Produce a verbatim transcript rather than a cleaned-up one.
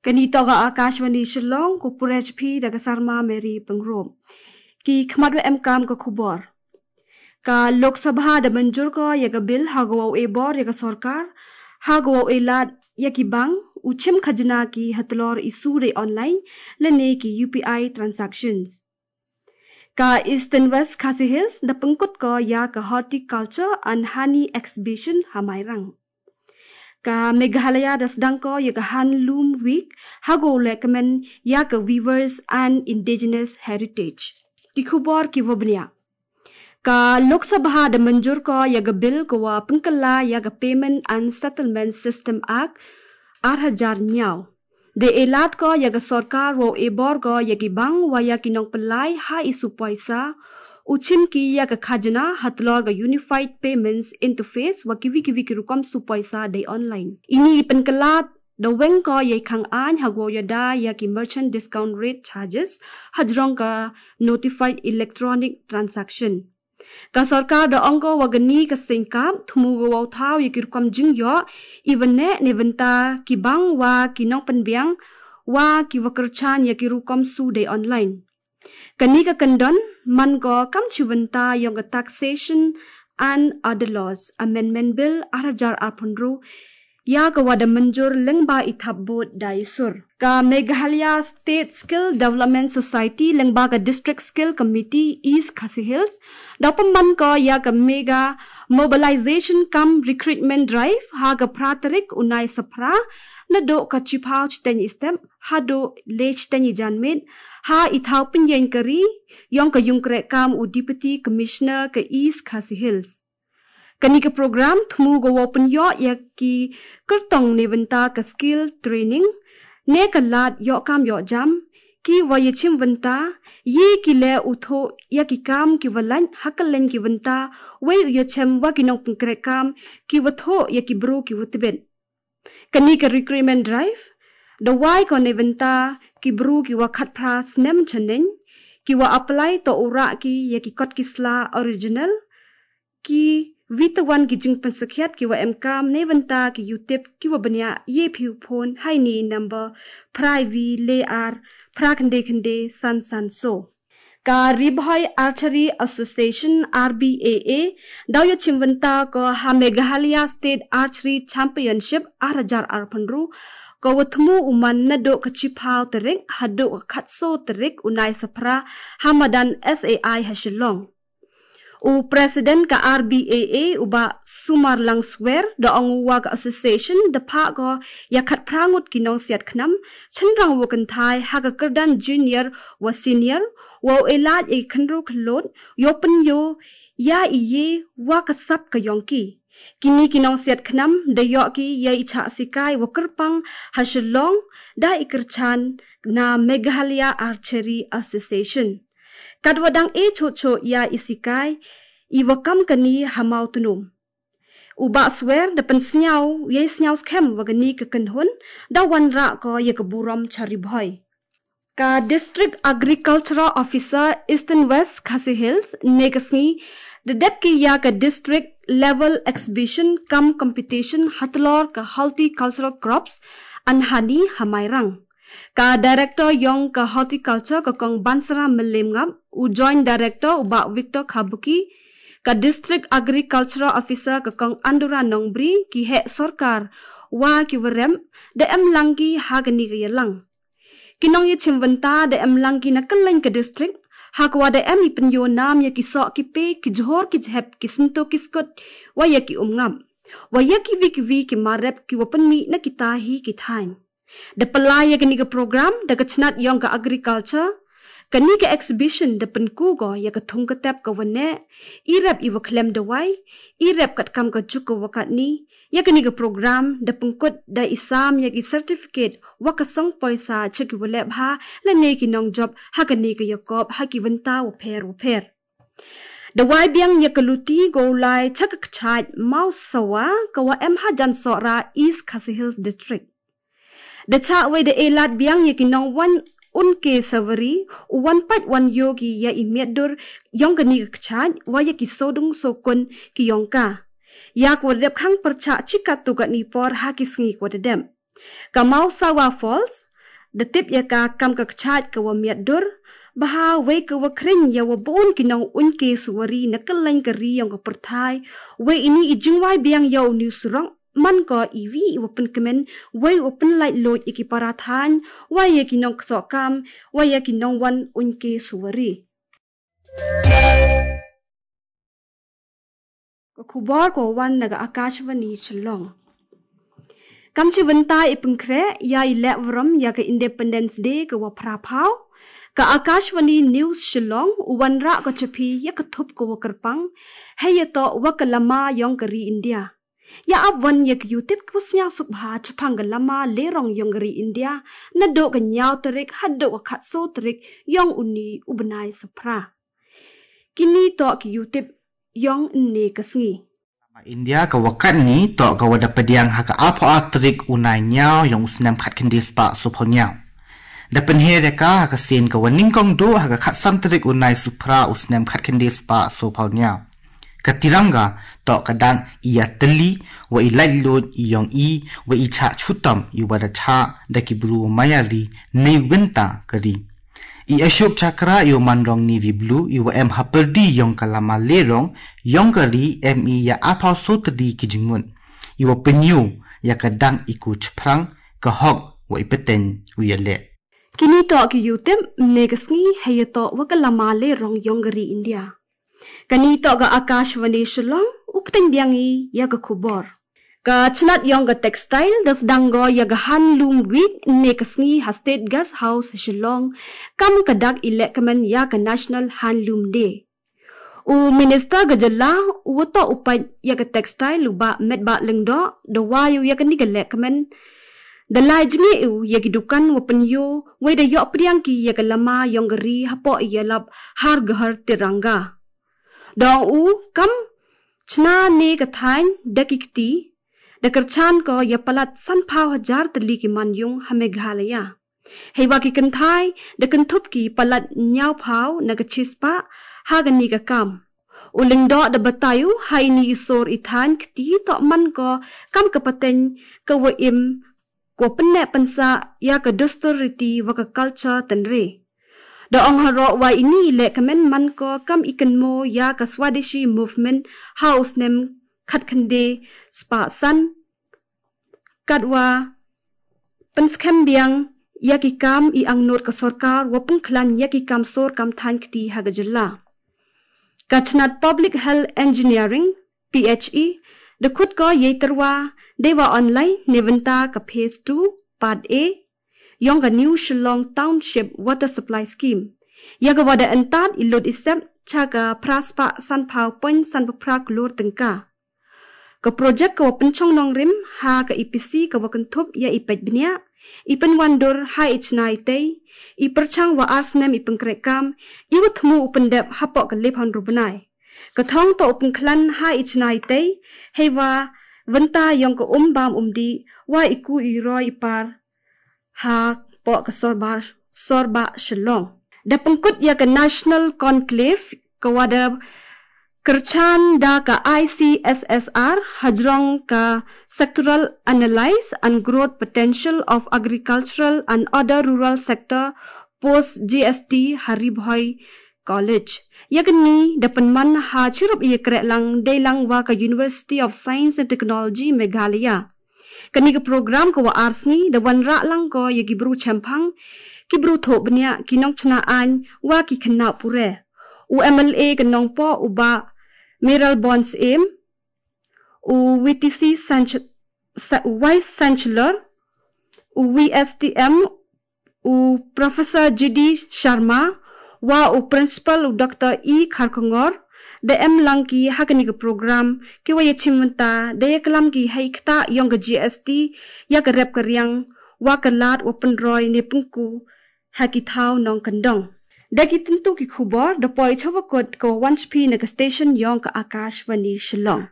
Kanitoga Akashvani Shillong, ko purechpi daga Sarma Mary Pangrop. Ki khmat wa emkam ka khubor. Ka Lok Sabha da manjur ko ya ka bill ha go e bor ya ka sorkar, ha go e lad ya ki bang, u chim khajna ki hatlor isu de online, lane ki U P I transactions. Ka Eastern West Khasi Hills da pengkut ko ya ka Horticulture and Honey Exhibition ha Mairang. Ka Meghalaya da sedang ko ya ka Handloom Week ha go le kemen ya ka Weavers and Indigenous Heritage. Ki khubor ki wa bniah. Ka Lok Sabha da manjur ko ya ka bill ko wa pengkela ya ka Payment and Settlement System Act ar hajar niau. De elat ko ya ka sorkar wo e bor ko ya ki bang wa ya ki nong pelai ha isu poisa, u chim ki ya ka khajna hatlor ka Unified Payments Interface wa kiwi kiwi ki rukom su poisa de online. Ini i penkelat da weng ko ya i khang ain ha go ya da ya ki merchant discount rate charges hajrong ka notified electronic transaction. Ka sorkar da ong ko wa gani ka sengkap thumu go wa thau ya ki rukom jing yo, i wa ne ne benta ki bang wa ki nong penbiang wa ki wa kerchan ya ki rukom su de online. Kani ka kendon man ko kam chi benta yong ka Taxation and Other Laws Amendment Bill ar hajar ar pun ru ya ka wa da manjur lengba i thap bot da i sur. Ka Meghalaya State Skill Development Society lengba ka District Skill Committee East Khasi Hills da pemban ko ya ka mega mobilization cum recruitment drive ha ka phra tarik u nai sapra na do ka chipau chiteng i step ha do le chiteng i janmit ha i thau pinyen kari yong ka yung kre kam u Deputy Commissioner ka East Khasi Hills. Kani ka program thumu go wo pun yo ya ki kertong ne benta ka skill training ne ka lad yo kam yo jam ki wa ya chim benta ye ki le u tho ya ki kam ki wa lain ha ka len ki benta wei u ya chem wa ki nong pengkre kam ki wa tho ya ki bru ki wa tibet. Kani ka recruitment drive da wai ko ne benta ki bru ki wa khat phra snem chaneng ki wa apply to u ra ki ya ki kot ki sla original ki vitawan ki jingpensakhiat ki wa emkam ne benta ki yutip ki wa bniah ye phiu phone hai ni number phra vi le ar phra khende khende san san so. Ka Ri Bhoi Archery Association R B A A dau ya chim benta ko ha Meghalaya State Archery Championship ar hajar ar pun ru ko wa thumu u man na do ka chipau tarik ha do ka khatso tarik u nai sapra ha madan S A I ha Shillong. U President ka R B A A u ba Sumar Langswer da ong u wa ka association da pha ko ya khat phra ngut ki nong siat khnam chenrang wa kynthai ha ka kerdan junior wa senior wa u elat e khenru khlot yo pun yo ya i ye wa ka sap ka yong ki. Kini ki nong siat khnam da yo ki ya i cha sikai wa kerpang ha Shillong da i kerchan na Meghalaya Archery Association. Kat wa dang e cho cho ya i sikai i wa kam kani ha mau tunum. U ba swer da pen sniau ya i sniau skhem wa kani ka kenhun da wan ra ko ya ka burom cha Ri Bhoi. Ka District Agricultural Officer Eastern West Khasi Hills ne ka sngi da dep ki ya ka District Level Exhibition cum Competition hatlor ka Horticultural Crops and Honey ha Mairang. Ka Director yong ka Horticulture ka kong Bansara Melim Ngap, u Joint Director u ba Victor Khabuki, ka District Agricultural Officer ka kong Andura Nongbri ki he sorkar wa ki wa rem da em lang ki ha kani ka ya lang. Ki nong ya chim benta da em lang ki na kylleng ka district ha ka wa da em i pynyo nam ya ki sok ki pe ki johor ki jhep ki sinto ki skut wa ya ki umngap wa ya ki wi ki wi ki marep ki wa pynmih na ki tahi ki thain. Da pelai ya kani ka program da ka chnat yong ka agriculture. Kani ka exhibition da pynku ko ya ka thung ka tep ka wa ne, i rep i wa khlem da wai, i rep kat kam ka juk ka wa kat ni. Ya kani ka program da pynkut da i sam ya ki certificate wa ka song poisa cha ki wa lep ha lane ki nong job ha kani ka ya kop ha ki bynta wa pher wa pher. Da wai biang ya ka luti go lai cha ka kchait mau sawa ka wa em ha jan sohra East Khasi Hills District. Da cha wai da elat biang ya ki nong wan un ke savari u wan pait wan yo ki ya i miat dur yong kani ka kchait wa ya ki sodung sokun ki yong ka. Ya ka wa dep khang percha chikat tu kat ni por ha ki sngi ka wa da dem. Ka Mausawa Falls, Da tip ïa ka kam ka kchait ka wa miat dur, baha wei ka wa kring ïa wa bun ki nong un ke suwari na ka lain ka ri yong ka pyrthai, wei ini i jingwai biang ïa u ni surok, man ko i wi i wa pynkmen, wei wa pynlait loj i ki para than, wei ïa ki nong ksok kam, wei ïa ki nong wan un ke suwari. Ka khubor ko wan na ka Akashvani Shillong. Kam chi wynta i pynkhreh ïa i leh wrom ïa ka Independence Day ka wa phra phaw. Ka Akashvani News Shillong u wanrah ka chaphi ïa ka thup ka wa kyrpang. Hei ïa to wa ka lama yong ka ri India. Ïa ap wan ïa ka yutip ka wa sñiaw suk bha chaphang ka lama lerong yong ka ri India. Na do ka ñiaw tarik ha do ka khatso tarik yong uni u bnai sa phra. Kini to ki yutip yong ne ka sngi. Lama India ka wa kat ni to ka wa da pdiang ha ka apho atrik u nai ñiaw yong u snem khat khyndai spah so phaw ñiaw. Da pynher ïa ka ha ka sien ka wa nyngkong do ha ka khat san tarik u nai suphra u snem khat khyndai spah so phaw ñiaw. Ka tiranga to ka dang ïa teli wa i lait loj i yong i wa i chah chutam i wa da chah da ki bru wa maya ri nei wynta ka ri. I Ashok Chakra i wa manrong ni ri blu i wa em ha pyrdi yong ka lama lerong yong ka ri em i ïa aphaw so tedi ki jingmut. I wa pynïu ïa ka dang i ku chphrang ka hok wa i pteng u ïa leh. Kini to ki yutip ne ka sngi hei ïa to wa ka lama lerong yong ka ri India. Kani to ka Akashvani Shillong u pteng biang i ïa ka khubor. Ka chnat yong ka textile da sdang go ïa ka Handloom Week ne ka sngi ha State Guest House Shillong kam ka dak i leh kmen ïa ka National Handloom Day. U Minister ka jylla u wa to u pait ïa ka textile u Bah Metbah Lyngdoh da wa ïu ïa kani ka leh kmen da lai jngi u ïa ki dukan wa pynïu wei da ïoh pdiang ki ïa ka lama yong ka ri hapoh ïa lap Har Ghar Tiranga. Dong u kam chna ne ka thaiñ da ki kti da kyrchan ko ïa palat san phaw hajar tylli ki manyung ha Meghalaya. Hei wa ki kynthai da kynthup ki palat ñiaw phaw na ka chispah ha kani ka kam. U Lyngdoh da batai u ha ini i sor i thaiñ kti to man ko kam ka pateng ka wa im ko pynneh pynsah ïa ka dustur riti wa ka culture tynrai. Da ong haroh wa ini i leh kmen man ko kam i kynmo ïa ka Swadeshi movement ha u snem khat khyndai spah san kat wa pynskhem biang ïa ki kam i angnot ka sorkar wa pynkhlan ïa ki kam sor kam thaiñ kti ha ka jylla. Ka chnat Public Health Engineering, P H E, da khut ko ïa i tyrwa dei wa online ne wynta ka phase two, part A, yong ka New Shillong Township Water Supply Scheme. Ïa ka wa da yntat i lut i sep cha ka phra spah san phaw point san phra klur tyngka. Ka project ka wa pynchong nongrim ha ka E P C ka wa kynthup ïa i peit bniah, i pynwandur ha i chna i tei, i pyrchang wa ar snem i pynkhreh kam, i wa thmu u pyndep hapoh ka lip hon ru bnai. Ka thong to u pynkhlan ha i chna i tei, hei wa wynta yong ka um bam um dih, wa i ku i roi i par, hapoh ka sorbar, sorbah Shillong. Da pynkut ïa ka National Conclave ka wa da kyrchan da ka I C S S R hajrong ka Sectoral Analysis and Growth Potential of Agricultural and Other Rural Sector post G S T ha Ri Bhoi College. Ïa kani da pynman ha chirup ïa kreh lang dei lang wa ka University of Science and Technology Meghalaya. Kani ka program ka wa ar sngi da wanrah lang ko ïa ki bru chemphang, ki bru thoh bniah, ki nongchna aiñ wa ki khynnah pure. U M L A ka Nongpoh u Bah Mayralborn Syiem, u V T C Chan-, Sa-, Vice Chancellor, u V S T M, u Professor G D Sharma, wa u Principal u Doctor E Kharkongor, da em lang ki ha kani ka program, ki wa ïa chim wynta, da ïa klam ki hei kta yong ka G S T, ïa ka rep ka riang, wa ka lad, wa pynroi ne pynku, ha ki thaw nongkyndong. Da ki tyntu ki khubor, da poi chawa kut ka wa wan chphi na ka station yong ka Akashvani Shillong.